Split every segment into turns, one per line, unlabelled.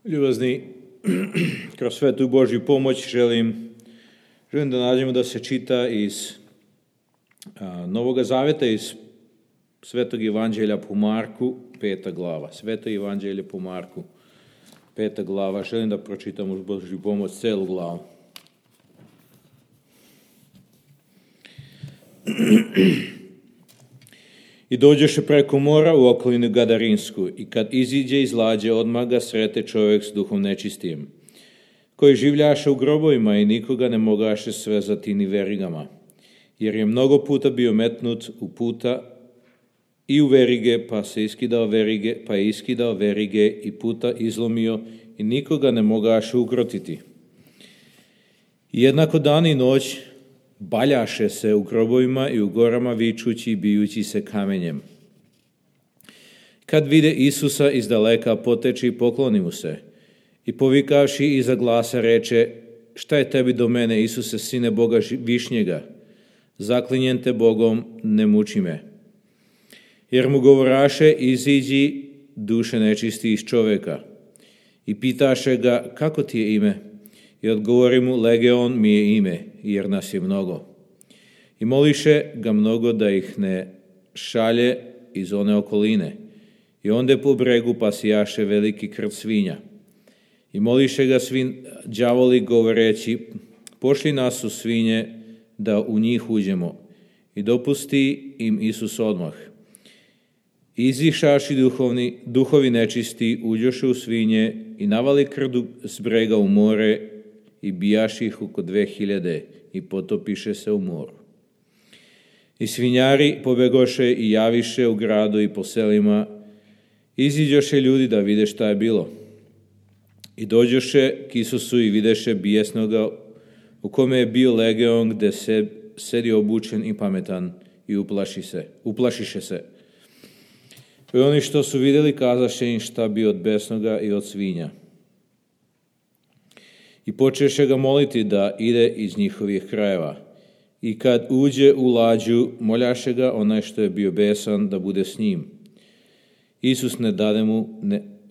Ljubazni, kroz svetu Božju pomoć želim da nađemo da se čita iz Novoga Zaveta, iz Svetog Evanđelja po Marku, 5. glava. Sveto Evanđelje po Marku, 5. glava. Želim da pročitam uz Božju pomoć celu glavu. I dođeše preko mora u okolinu Gadarinsku, i kad iziđe iz lađe, odmah ga srete čovjek s duhom nečistijem, koji življaše u grobovima i nikoga ne mogaše svezati ni verigama, jer je mnogo puta bio metnut u puta i u verige, pa je iskidao verige i puta izlomio i nikoga ne mogaše ukrotiti. I jednako dan i noć baljaše se u grobovima i u gorama vičući i bijući se kamenjem. Kad vide Isusa izdaleka, poteči i pokloni mu se. I povikavši iza glasa reče: šta je tebi do mene, Isuse, sine Boga višnjega? Zaklinjem te Bogom, ne muči me. Jer mu govoraše: iziđi, duše nečisti iz čovjeka. I pitaše ga: kako ti je ime? I odgovori mu: Legeon mi je ime, jer nas je mnogo. I moliše ga mnogo da ih ne šalje iz one okoline. I onda po bregu pasijaše veliki krv svinja. I moliše ga đavoli govoreći: pošli nas u svinje da u njih uđemo. I dopusti im Isus odmah. Izišaši duhovi nečisti, uđoše u svinje i navali krdu s brega u more i bijaši ih oko 2000 i potopiše se u moru. I svinjari pobegoše i javiše u gradu i po selima. Iziđoše ljudi da vide šta je bilo. I dođoše k Isusu i videše bijesnoga, u kome je bio legeon, gde sedi obučen i pametan, i uplašiše se. I oni što su vidjeli kazaše im šta bi od besnoga i od svinja. I počeše ga moliti da ide iz njihovih krajeva. I kad uđe u lađu, moljaše ga onaj što je bio besan da bude s njim. Isus ne dade mu,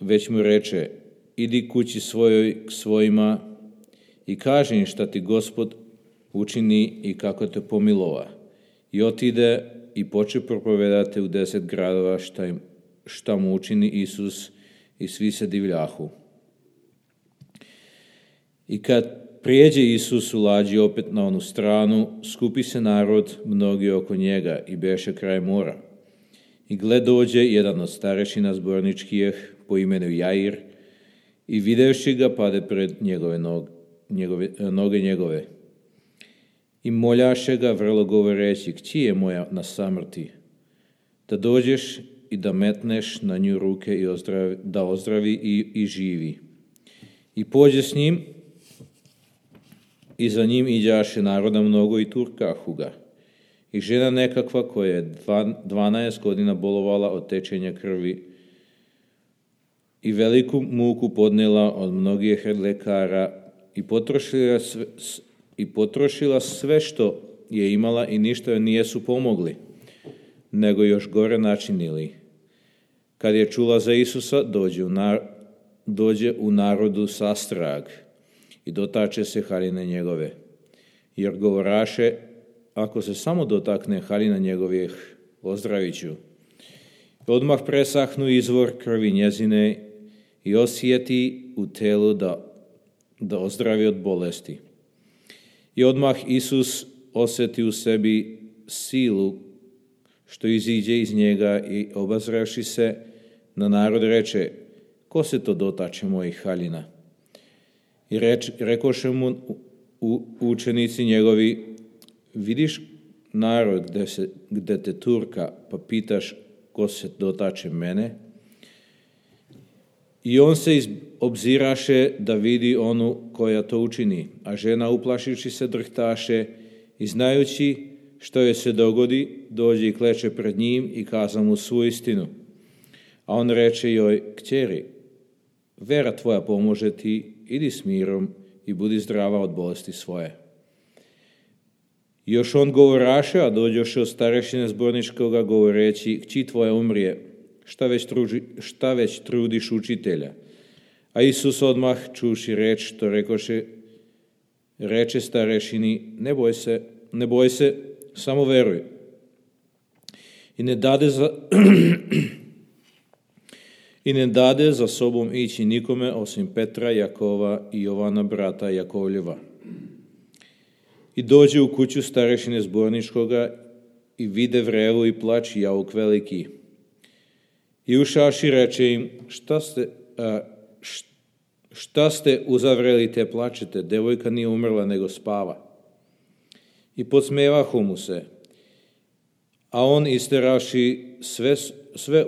već mu reče: idi kući svojoj k svojima i kaži im šta ti Gospod učini i kako te pomilova. I otide i poče propovedati u 10 gradova šta mu učini Isus, i svi se divljahu. I kad prijeđe Isus u lađi opet na onu stranu, skupi se narod mnogi oko njega i beše kraj mora. I gle, dođe jedan od starešina zborničkih po imenu Jair, i videvši ga pade pred noge njegove. I moljaše ga vrlo govoreći: kći je moja na samrti, da dođeš i da metneš na nju ruke i da ozdravi i živi. I pođe s njim, i za njim iđaše naroda mnogo i turkahu ga. I žena nekakva koja je 12 godina bolovala od tečenja krvi i veliku muku podnela od mnogih lekara i potrošila sve što je imala i ništa joj nijesu pomogli, nego još gore načinili. Kad je čula za Isusa, dođe u narodu sastrag i dotače se haljine njegove, jer govoraše: ako se samo dotakne haljina njegovih, ozdravit ću. Odmah presahnu izvor krvi njezine i osjeti u telu da ozdravi od bolesti. I odmah Isus osjeti u sebi silu što iziđe iz njega i obazravši se na narod reče: ko se to dotače mojih haljina? I rekoše mu učenici njegovi: vidiš narod gde te turka, pa pitaš ko se dotače mene? I on se obziraše da vidi onu koja to učini, a žena, uplašivši se, drhtaše i znajući što je se dogodi, dođe i kleče pred njim i kaza mu svu istinu. A on reče joj: kćeri, vera tvoja pomože ti, idi s mirom i budi zdrava od bolesti svoje. Još on govoraše, a dođoše od starešine zborničkoga govoreći: kći tvoja umrije, šta već trudiš učitelja? A Isus odmah, čuši reč, što reče starešini, ne boj se, samo veruj. I ne dade za sobom ići nikome osim Petra, Jakova i Jovana, brata Jakovljeva. I dođe u kuću starešine zborničkoga i vide vrevu i plać i jauk veliki. I ušavši reče im, šta ste uzavreli te plačete, devojka nije umrla nego spava. I podsmevahu mu se. A on isteravši sve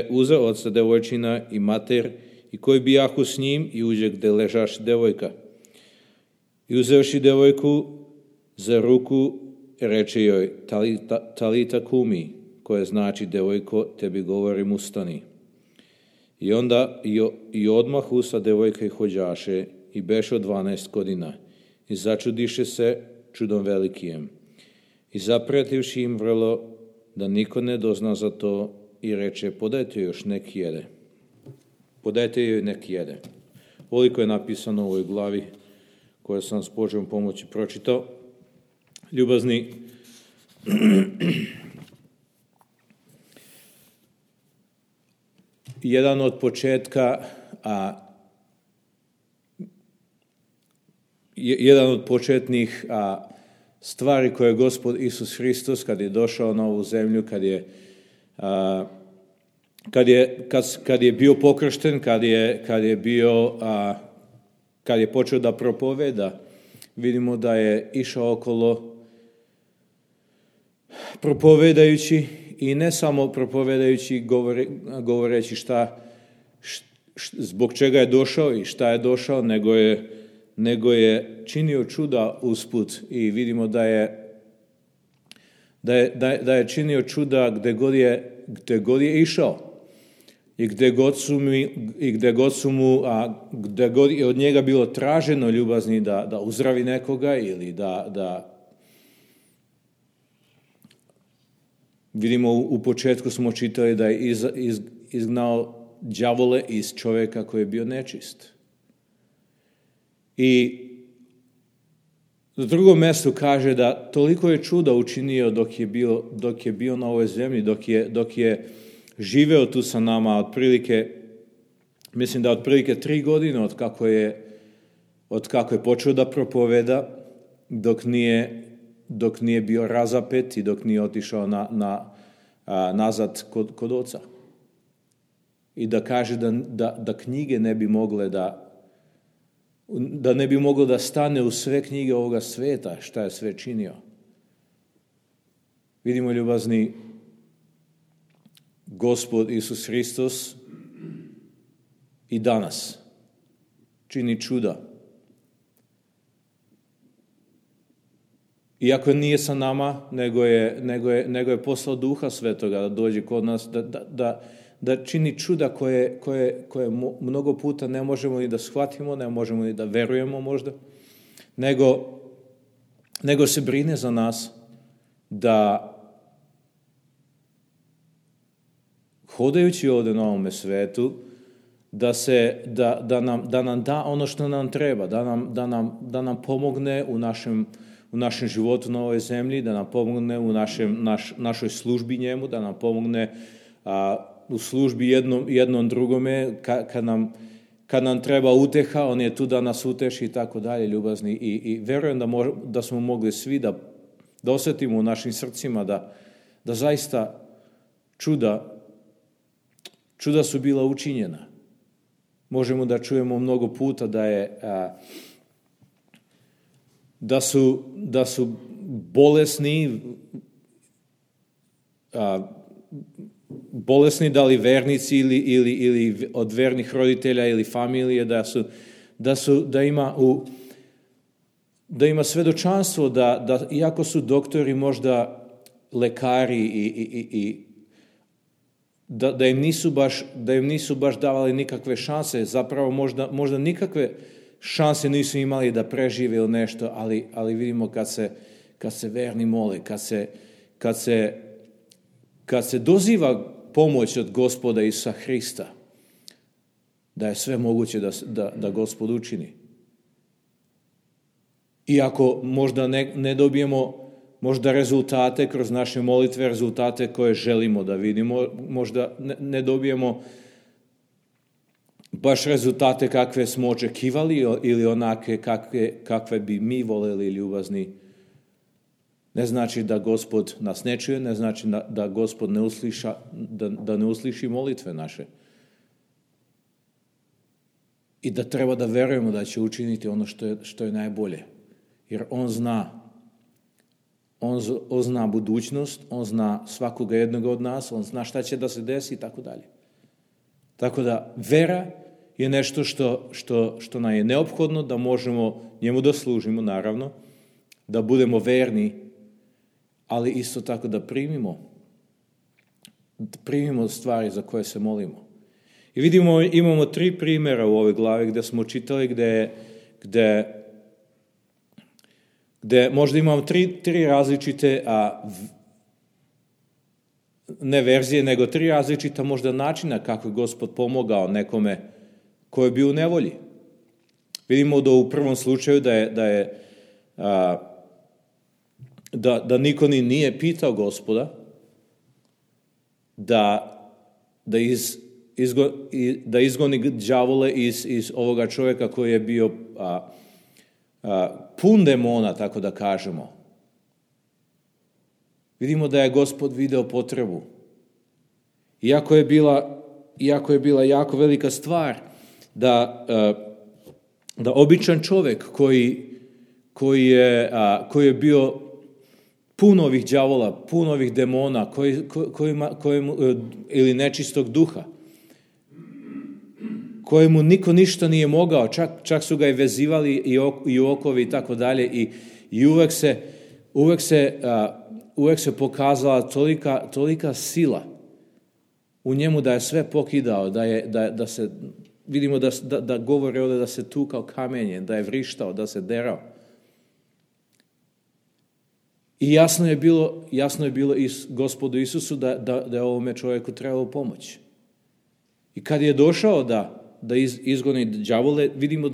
uze oca devojčina i mater i koji bijahu s njim i uđe gde ležaš devojka. I uzevši devojku za ruku, reče joj, talita kumi, koje znači, devojko, tebi govorim, ustani. I onda i odmah usta devojka i hođaše i beše od 12 godina i začudiše se čudom velikijem. I zapretivši im vrlo da niko ne dozna za to i reče, podajte još nek jede. Podajte joj nek jede. Ovoliko je napisano u ovoj glavi koje sam s Božjom pomoći pročitao. Ljubazni, jedan od početnih stvari koje je Gospod Isus Hristos kad je došao na ovu zemlju, kad je bio pokršten, kad je počeo da propoveda, vidimo da je išao okolo propovedajući i ne samo propovedajući, govoreći zbog čega je došao i šta je došao, nego je činio čuda usput i vidimo da je činio čuda gde god je išao i gde god je od njega bilo traženo, ljubazni, da uzdravi nekoga ili da vidimo u početku smo čitali da je izgnao đavole iz čovjeka koji je bio nečist. I na drugom mjestu kaže da toliko je čuda učinio dok je bio na ovoj zemlji, dok je živeo tu sa nama, mislim da otprilike 3 godine od kako je počeo da propoveda, dok nije bio razapet i dok nije otišao nazad kod oca. I da kaže da knjige ne bi mogle da ne bi moglo da stane u sve knjige ovoga sveta, šta je sve činio. Vidimo, ljubazni, Gospod Isus Hristos i danas čini čuda. Iako nije sa nama, nego je poslao Duha Svetoga da dođe kod nas, da čini čuda koje mnogo puta ne možemo ni da shvatimo, ne možemo ni da verujemo možda, nego se brine za nas da hodajući ovdje na ovome svetu, da nam da ono što nam treba, da nam pomogne u našem životu na ovoj zemlji, da nam pomogne u našoj službi njemu, da nam pomogne u službi jednom drugome, kad nam treba uteha, on je tu da nas uteši i tako dalje, ljubazni. I verujem da smo mogli svi da osjetimo u našim srcima da zaista čuda su bila učinjena. Možemo da čujemo mnogo puta da su bolesni, da li vernici ili od vernih roditelja ili familije, da ima svedočanstvo da iako su doktori možda lekari i da im nisu baš davali nikakve šanse, zapravo možda nikakve šanse nisu imali da prežive ili nešto, ali vidimo kad se verni mole, kad se doziva pomoć od Gospoda Isusa Hrista, da je sve moguće da Gospod učini. Iako možda ne dobijemo možda rezultate kroz naše molitve, rezultate koje želimo da vidimo, možda ne dobijemo baš rezultate kakve smo očekivali ili onake kakve bi mi voljeli ljubazni. Ne znači da Gospod nas ne čuje, ne znači da Gospod da ne usliši molitve naše. I da treba da verujemo da će učiniti ono što je najbolje. Jer on zna. On zna budućnost, on zna svakoga jednog od nas, on zna šta će da se desi i tako dalje. Tako da vera je nešto što nam je neophodno, da možemo njemu da služimo, naravno, da budemo verni, ali isto tako da primimo stvari za koje se molimo. I vidimo, imamo 3 primjera u ovoj glavi gdje smo čitali, gdje možda imamo 3 različite, ne verzije, nego 3 različita možda načina kako je Gospod pomogao nekome koji je bio u nevolji. Vidimo da u prvom slučaju da niko ni nije pitao Gospoda da izgoni đavole iz ovoga čovjeka koji je bio pun demona, tako da kažemo. Vidimo da je Gospod video potrebu. Iako je bila jako velika stvar da običan čovjek koji je bio pun ovih đavola, pun ovih demona, ili nečistog duha, kojemu niko ništa nije mogao, čak su ga i vezivali i u okovi i tako dalje, i uvek se pokazala tolika sila u njemu da je sve pokidao, da se, vidimo da govore ovdje da se tukao kamenje, da je vrištao, da se derao. I jasno je bilo Gospodu Isusu da je ovome čovjeku trebalo pomoć. I kad je došao da izgoni đavole, vidimo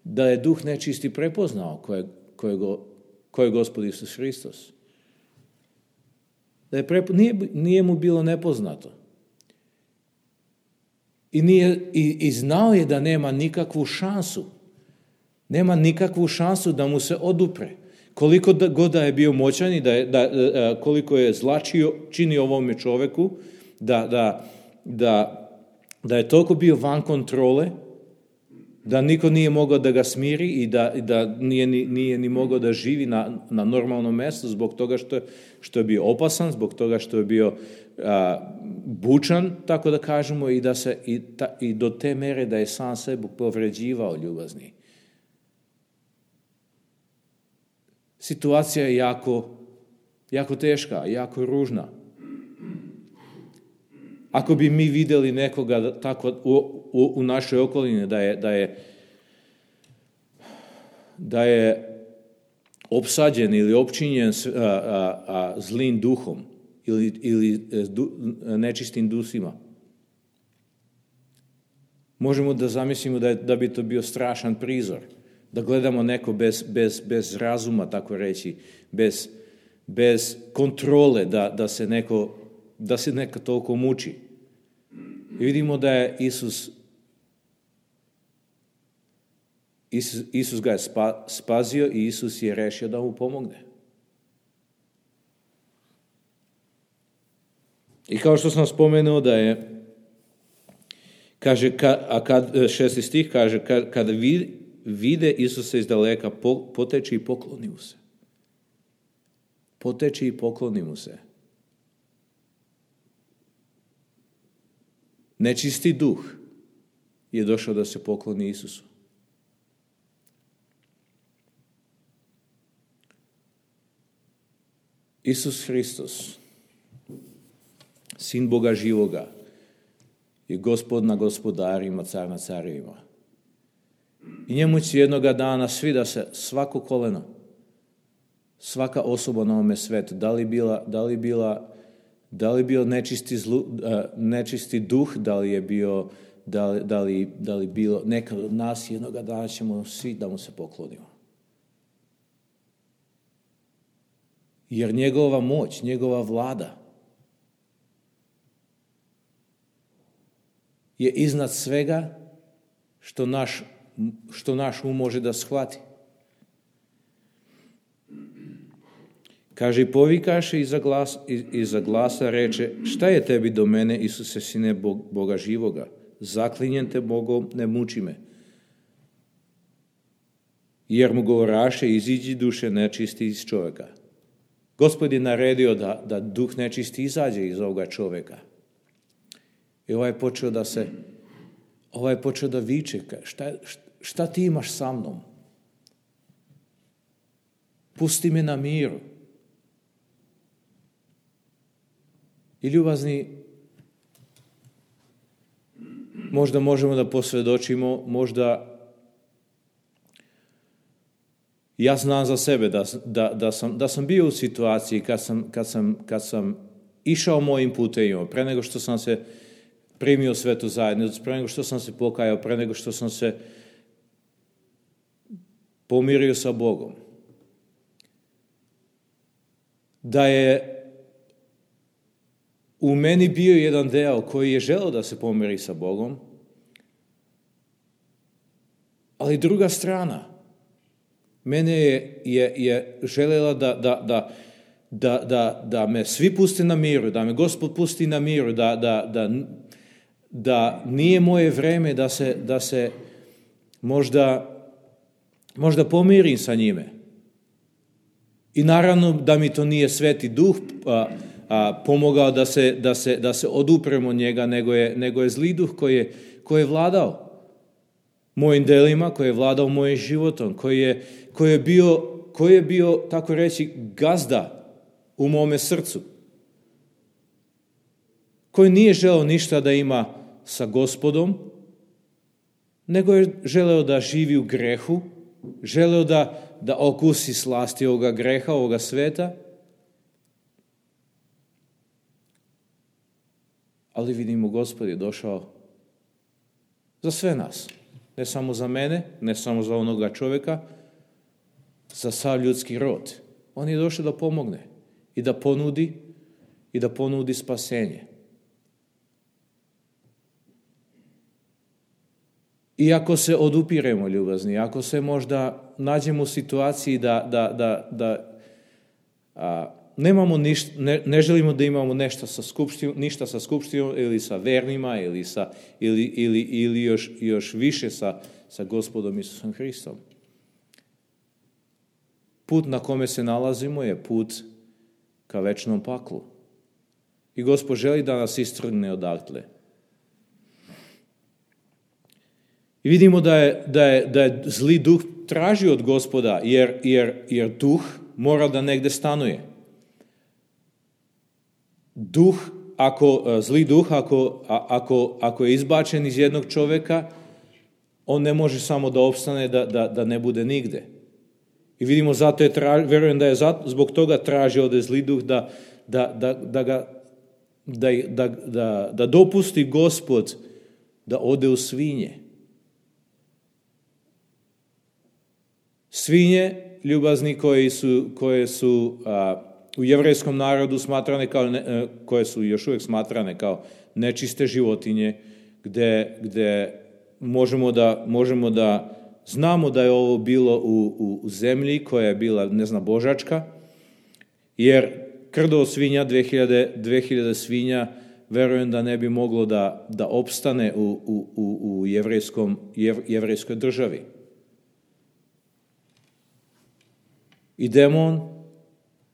da je duh nečisti prepoznao ko je Gospod Isus Hristos. Nije mu bilo nepoznato. I znao je da nema nikakvu šansu. Nema nikakvu šansu da mu se odupre. Koliko god da je bio moćan i koliko je zla činio ovome čovjeku, da je toliko bio van kontrole, da niko nije mogao da ga smiri i da nije ni mogao da živi na normalnom mjestu zbog toga što je bio opasan, zbog toga što je bio bučan, tako da kažemo, i do te mere da je sam sebe povređivao ljubazni. Situacija je jako teška, jako ružna. Ako bi mi vidjeli nekoga tako u našoj okolini da je opsađen ili opčinjen zlim duhom ili nečistim dusima, možemo da zamislimo da bi to bio strašan prizor. Da gledamo neko bez razuma, tako reći, bez kontrole, da se neko toliko muči. I vidimo da je Isus ga je spasio i Isus je rešio da mu pomogne. I kao što sam spomenuo da je, kaže, šesti stih kaže, kada vide Isusa iz daleka, poteči i pokloni mu se. Poteči i pokloni mu se. Nečisti duh je došao da se pokloni Isusu. Isus Hristos, Sin Boga živoga, je Gospod na gospodarima, car na carevima. I njemu će jednoga dana svi da se svako koleno, svaka osoba na ovome svetu, da li bio nečisti duh, da li je bio da li bilo nekad od nas jednoga dana ćemo svi da mu se poklonimo. Jer njegova moć, njegova vlada je iznad svega što naš um može da shvati. Kaže, i povikaše iza glasa reče, šta je tebi do mene, Isuse, sine Boga živoga? Zaklinjem te Bogom, ne muči me. Jer mu govoraše, iziđi duše nečisti iz čovjeka. Gospod je naredio da duh nečisti izađe iz ovoga čovjeka. I ovaj je počeo da viče, šta ti imaš sa mnom? Pusti me na miru. I ljubazni, možda možemo da posvjedočimo, možda ja znam za sebe da sam bio u situaciji kad sam išao mojim putevima, pre nego što sam se primio svetu zajednicu, pre nego što sam se pokajao, pre nego što sam se pomirio sa Bogom. Da je u meni bio jedan deo koji je želeo da se pomiri sa Bogom, ali druga strana mene je želela da me svi puste na miru, da me Gospod pusti na miru, da nije moje vreme da se možda pomirim sa njime. I naravno da mi to nije Sveti Duh pomogao da se odupremo od njega, nego je zli duh koji je vladao mojim delima, koji je vladao mojim životom, koji je bio, tako reći, gazda u mome srcu, koji nije želeo ništa da ima sa Gospodom, nego je želeo da živi u grehu, želeo da okusi slasti ovoga greha, ovoga sveta. Ali vidimo, Gospod je došao za sve nas. Ne samo za mene, ne samo za onoga čovjeka, za sav ljudski rod. On je došao da pomogne i da ponudi spasenje. I ako se odupiremo, ljubazni, ako se možda nađemo u situaciji da nemamo ne želimo da imamo ništa sa skupštinom ili sa vernima ili još više sa Gospodom Isusom Hristom. Put na kome se nalazimo je put ka večnom paklu. I Gospod želi da nas istrgne odatle. I vidimo da je zli duh tražio od Gospoda, jer duh mora da negde stanuje. Zli duh, ako je izbačen iz jednog čovjeka, on ne može samo da opstane, da ne bude nigde. I vidimo, verujem da je zbog toga tražio od zli duh da dopusti Gospod da ode u svinje. Svinje, ljubazni, koje su u jevrejskom narodu smatrane koje su još uvijek smatrane kao nečiste životinje, gde možemo da znamo da je ovo bilo u zemlji koja je bila božačka, jer krdo svinja, 2000 svinja, verujem da ne bi moglo da opstane u jevrejskoj državi. I demon,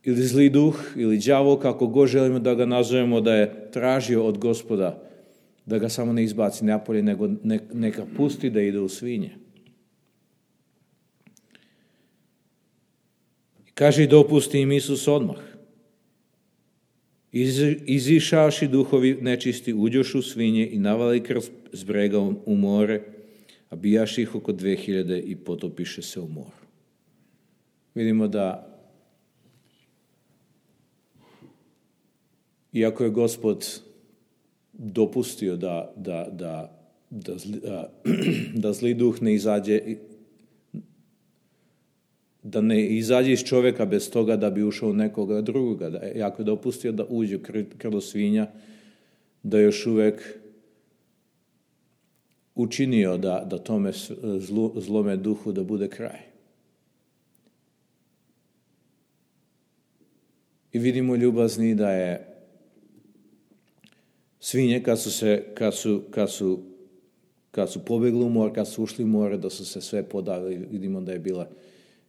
ili zli duh, ili đavo, kako god želimo da ga nazovemo, da je tražio od Gospoda da ga samo ne izbaci napolje, nego neka pusti da ide u svinje. Kaže, dopusti im Isus odmah. Izišavši duhovi nečisti, uđošu svinje i navali krv s brega u more, a bijaši ih oko 2000 i potopiše se u moru. Vidimo da iako je Gospod dopustio da da zli duh ne izađe, da ne izađe iz čovjeka bez toga da bi ušao u nekoga drugoga. Da je jako dopustio da uđe u krlo svinja, da još uvijek učinio da tome zlome duhu da bude kraj. I vidimo ljubazni da je svinje kad su pobjegli u more, kad su ušli u more, da su se sve podavili. Vidimo da je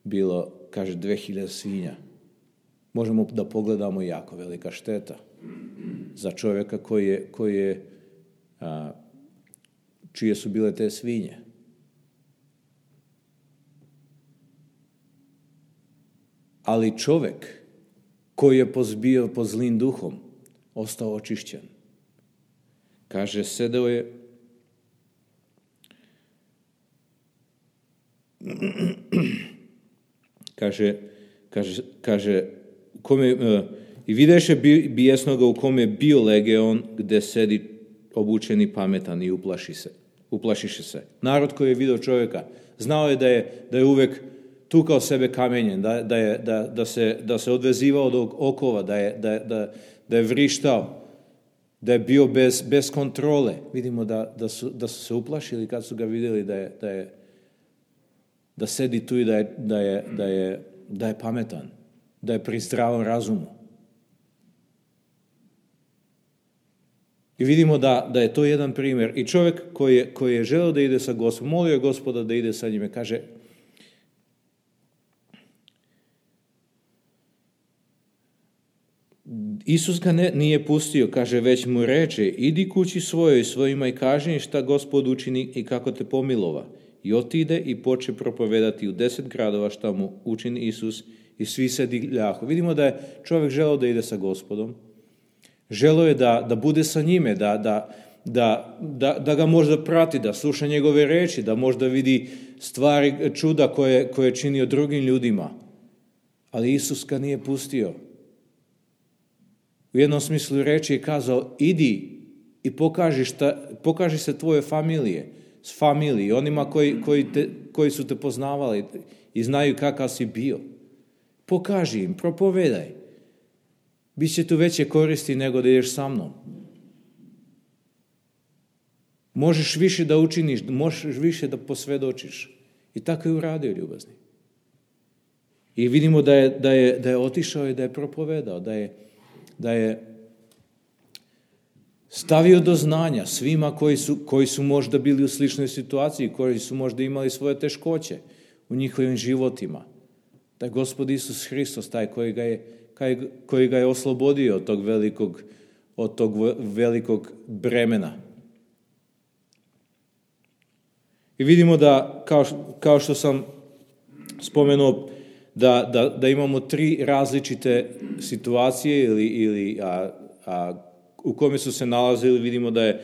bilo, kaže, 2000 svinja. Možemo da pogledamo jako velika šteta za čovjeka čije su bile te svinje. Ali čovjek koji je bio pod zlim duhom, ostao očišćen. Kaže, sedeo je kaže i videše bijesnoga u kome je bio legeon, gdje sedi obučeni pametan i uplašiše se. Narod koji je vidio čovjeka, znao je da je uvijek tukao sebe kamenjem, da se odvezivao od okova, da je vrištao, da je bio bez kontrole. Vidimo da su se uplašili kad su ga vidjeli da sedi tu i da je pametan, da je pri zdravom razumu. I vidimo da je to jedan primjer. I čovjek koji je želeo da ide sa Gospodom, molio je Gospoda da ide sa njime, kaže, Isus ga nije pustio, kaže, već mu reče, idi kući svojoj, svojima i kaži šta Gospod učini i kako te pomilova. I otide i poče propovedati u 10 gradova šta mu učini Isus i svi se divljahu. Vidimo da je čovjek želeo da ide sa Gospodom. Želeo je da bude sa njime, da ga možda prati, da sluša njegove reči, da možda vidi stvari, čuda koje je činio drugim ljudima. Ali Isus ga nije pustio. U jednom smislu reči je kazao, idi i pokaži se tvoje familiji, onima koji su te poznavali i znaju kakav si bio. Pokaži im, propovedaj. Biće tu veće koristi nego da ideš sa mnom. Možeš više da učiniš, možeš više da posvjedočiš. I tako je uradio, ljubazni. I vidimo da je otišao i da je propovedao, da je stavio do znanja svima koji su možda bili u sličnoj situaciji, koji su možda imali svoje teškoće u njihovim životima. Da je Gospod Isus Hristos taj koji ga je oslobodio od tog velikog bremena. I vidimo da, kao što sam spomenuo, da imamo 3 različite situacije u kome su se nalazili. Vidimo da je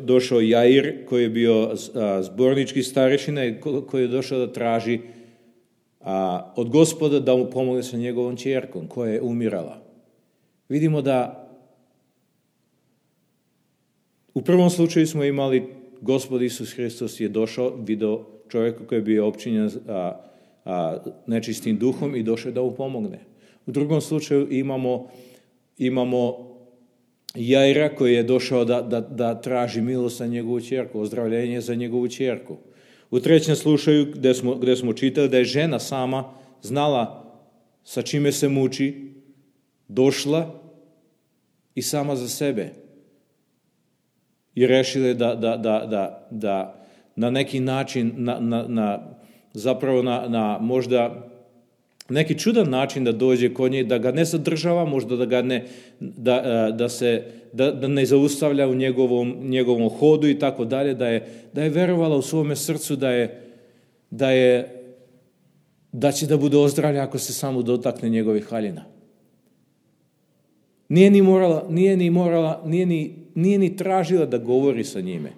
došao Jair, koji je bio zbornički starešina i koji je došao da traži od Gospoda da mu pomogne sa njegovom ćerkom koja je umirala. Vidimo da u prvom slučaju smo imali Gospod Isus Hristos je došao, vidio čovjeka koji je bio opčinjen nečistim duhom i došao da mu pomogne. U drugom slučaju imamo Jaira koji je došao da traži milost za njegovu ćerku, ozdravljenje za njegovu ćerku. U trećem slučaju gdje smo čitali da je žena sama znala sa čime se muči, došla i sama za sebe i rešila da na neki način zapravo na možda neki čudan način da dođe kod nje, da ga ne zadržava, možda da ga da ne zaustavlja u njegovom hodu i tako dalje, da je verovala u svome srcu da će da bude ozdravljen ako se samo dotakne njegovih haljina. Nije ni tražila da govori sa njime.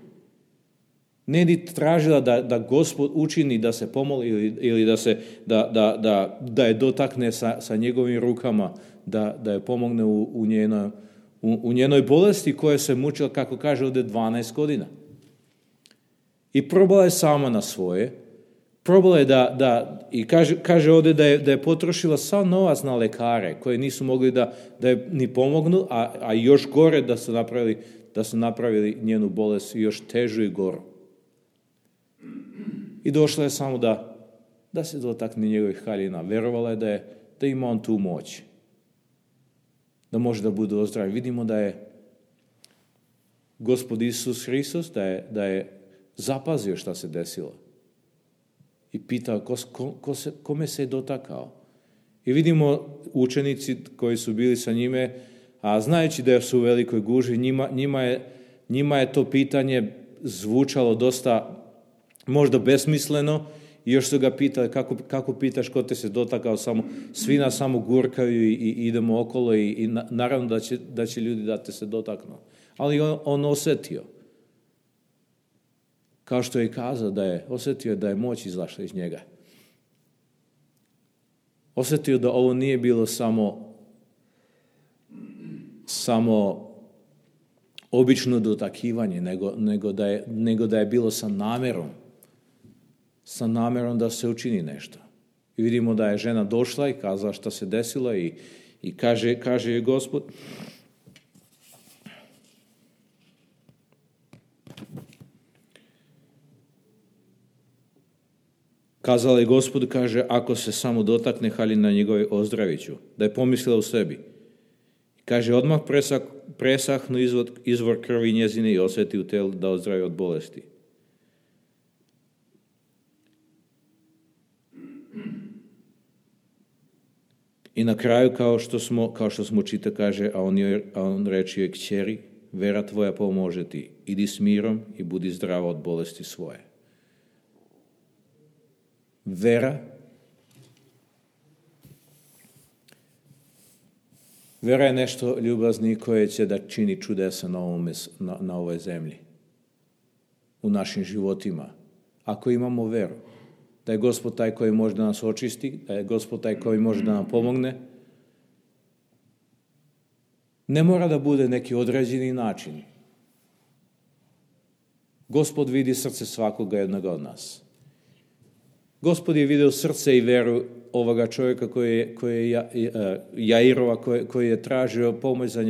Nije ni tražila da Gospod učini da se pomoli ili da je dotakne sa njegovim rukama, da je pomogne u njenoj bolesti koja se mučila, kako kaže ovdje, 12 godina. I probala je sama na svoje. Probala je i kaže ovdje da je potrošila sav novac na lekare koji nisu mogli da je ni pomognu, a još gore da su napravili njenu bolest još težu i goru. I došla je samo da se dotakne njegovih haljina. Verovala je da ima on tu moć. Da može da bude ozdravljen. Vidimo da je Gospod Isus Hristos, da je zapazio šta se desilo. I pitao kome se je dotakao. I vidimo učenici koji su bili sa njime, a znajući da su u velikoj gužvi, njima je to pitanje zvučalo dosta možda besmisleno i još su ga pitali kako pitaš ko te se dotakao, svi nas samo gurkaju i idemo okolo i naravno da će ljudi da te se dotaknu. Ali on osjetio, kao što je kazao, osjetio da je moć izašla iz njega. Osjetio da ovo nije bilo samo obično dotakivanje, nego da je bilo sa namerom da se učini nešto. I vidimo da je žena došla i kazala šta se desilo i kaže je Gospod, kazala je Gospodu, kaže, ako se samo dotakne haljina njegove, ozdravit ću. Da je pomislila u sebi. Kaže, odmah presahnu izvor krvi njezine i osjeti u telu da ozdravi od bolesti. I na kraju, kao što smo čitali, kaže, a on reče joj, kćeri, vera tvoja pomože ti. Idi s mirom i budi zdrava od bolesti svoje. Vera je nešto, ljubazni, koje će da čini čudesa na ovoj zemlji, u našim životima. Ako imamo veru, da je Gospod taj koji može da nas očisti, da je Gospod taj koji može da nam pomogne, ne mora da bude neki određeni način. Gospod vidi srce svakoga jednoga od nas. Gospod je vidio srce i veru ovoga čovjeka koji je Jairova, koji je tražio pomoć za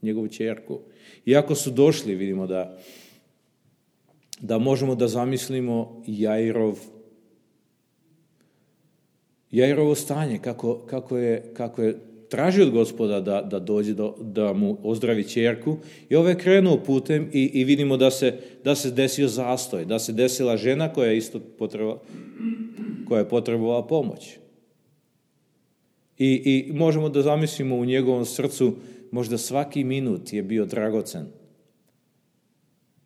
njegovu ćerku. Iako su došli, vidimo da možemo da zamislimo Jairovo stanje, kako je tražio od Gospoda da dođe da mu ozdravi ćerku. I ovaj je krenuo putem i vidimo da se desio zastoj, da se desila žena koja je potrebovala pomoć. I možemo da zamislimo u njegovom srcu, možda svaki minut je bio dragocen.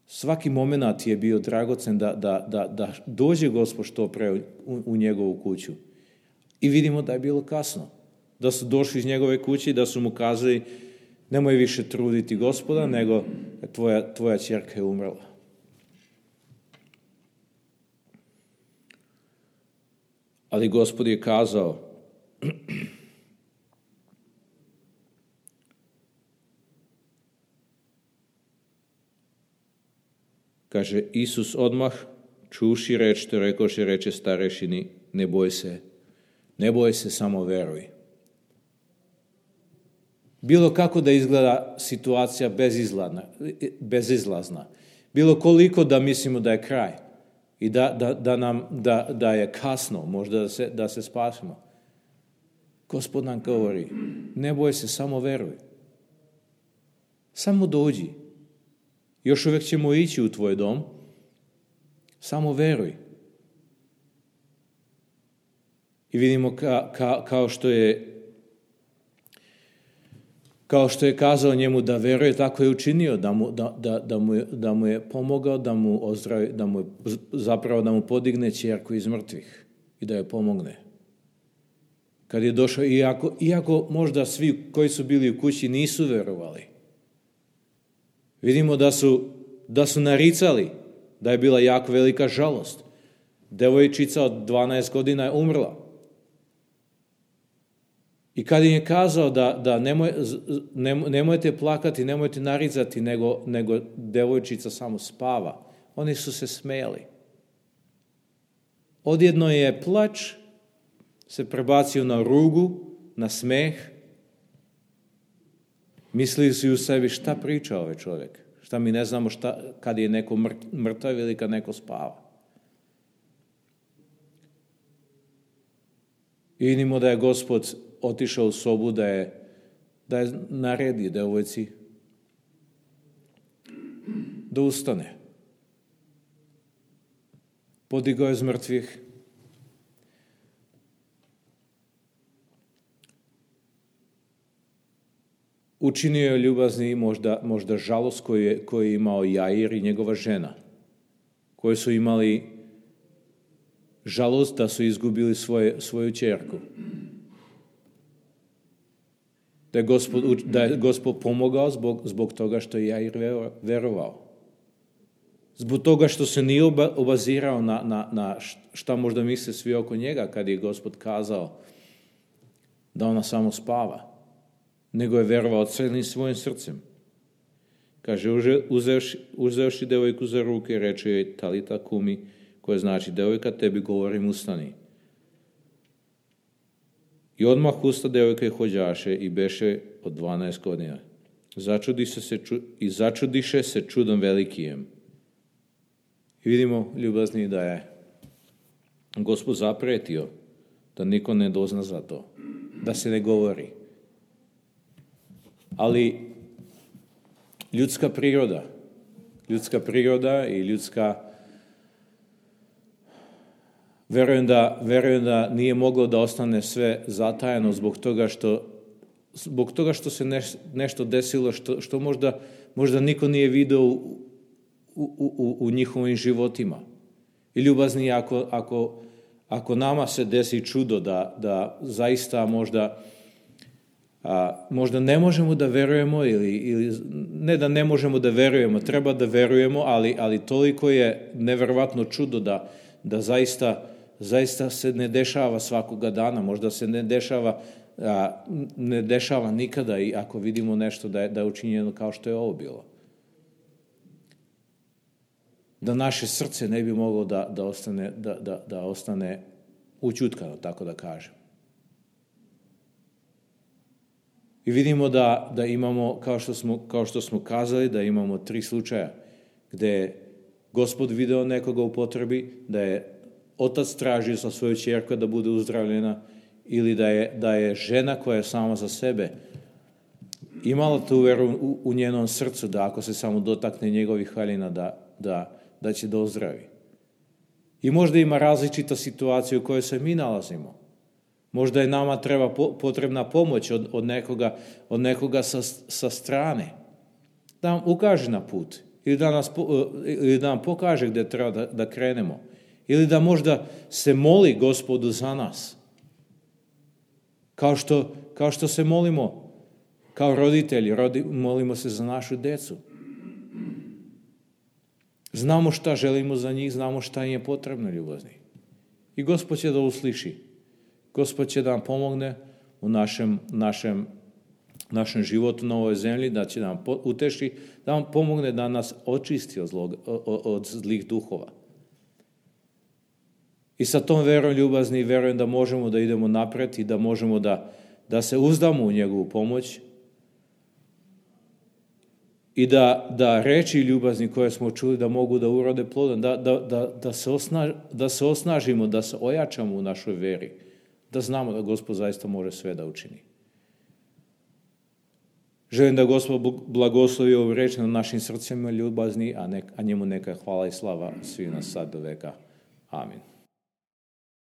Svaki moment je bio dragocen da dođe Gospod što pre u njegovu kuću. I vidimo da je bilo kasno. Da su došli iz njegove kuće i da su mu kazali, nemoj više truditi Gospoda, nego tvoja ćerka je umrla. Ali Gospod je kazao, kaže, Isus odmah čuši reč što rekoše, reče starešini, ne boj se, samo veruj. Bilo kako da izgleda situacija bezizlazna, bilo koliko da mislimo da je kraj i da je kasno, možda da se spasimo. Gospod nam govori, ne boj se, samo veruj. Samo dođi. Još uvijek ćemo ići u tvoj dom, samo veruj. I vidimo kao što je kazao njemu da veruje, tako je učinio, da mu je pomogao, da mu ozdravi, da mu podigne ćerku iz mrtvih i da je pomogne. Kad je došao, iako možda svi koji su bili u kući nisu verovali, vidimo da su naricali, da je bila jako velika žalost. Devojčica od 12 godina je umrla. I kad im je kazao da nemojte plakati, nemojte naricati, nego devojčica samo spava, Oni su se smejali. Odjedno je plač se prebacio na rugu, na smeh. Mislili su u sebi šta priča ovaj čovjek. Šta mi ne znamo kad je neko mrtav ili kad neko spava. I vidimo da je Gospod otišao u sobu, da je naredio devojci da ustane. Podigao je iz mrtvih. Učinio je ljubazni možda žalost koju je imao Jair i njegova žena, koji su imali žalost da su izgubili svoju ćerku. Da je Gospod pomogao zbog toga što je Jair verovao. Zbog toga što se nije obazirao na šta možda misle svi oko njega kad je Gospod kazao da ona samo spava, nego je verovao celim svojim srcem. Kaže, uzevši devojku za ruke, reče joj talita kumi, koje znači, devojka, tebi govorim, ustani. I odmah usta devojka i hođaše i beše od 12 godina. Začudiše se čudom velikijem. I vidimo, ljubazni, da je Gospod zapretio da niko ne dozna za to, da se ne govori. Ali ljudska priroda i ljudska... Verujem da nije moglo da ostane sve zatajeno zbog toga što se nešto desilo što možda niko nije video u njihovim životima. I ljubazni, ako nama se desi čudo da zaista možda ne možemo da verujemo ili ne da ne možemo da verujemo, treba da verujemo, ali toliko je neverovatno čudo da zaista se ne dešava svakoga dana, možda se ne dešava nikada i ako vidimo nešto da je učinjeno kao što je ovo bilo. Da naše srce ne bi moglo da ostane učutkano, tako da kažem. I vidimo da imamo, kao što smo kazali, da imamo 3 slučaja gde je Gospod video nekoga u potrebi, da je otac tražio za svoju ćerku da bude uzdravljena ili da je žena koja je sama za sebe imala tu veru u njenom srcu da ako se samo dotakne njegovih haljina da će da ozdravi. I možda ima različita situacija u kojoj se mi nalazimo. Možda je nama potrebna pomoć od nekoga sa strane. Da nam ukaže na put ili da nam pokaže gdje treba da krenemo. Ili da možda se moli Gospodu za nas. Kao što se molimo kao roditelji, molimo se za našu decu. Znamo šta želimo za njih, znamo šta im je potrebno, ljubazni. I Gospod će da usliši. Gospod će da nam pomogne u našem životu na ovoj zemlji, da će nam uteši, da nam pomogne da nas očisti od zlih duhova. I sa tom verom, ljubazni, verujem da možemo da idemo napred i da možemo da se uzdamo u njegovu pomoć i da reči ljubazni koje smo čuli da mogu da urode plodom, da se osnažimo, da se ojačamo u našoj veri, da znamo da Gospod zaista može sve da učini. Želim da Gospod blagoslovi ovu reč na našim srcima, ljubazni, a njemu neka hvala i slava svi nas sad do veka. Amin.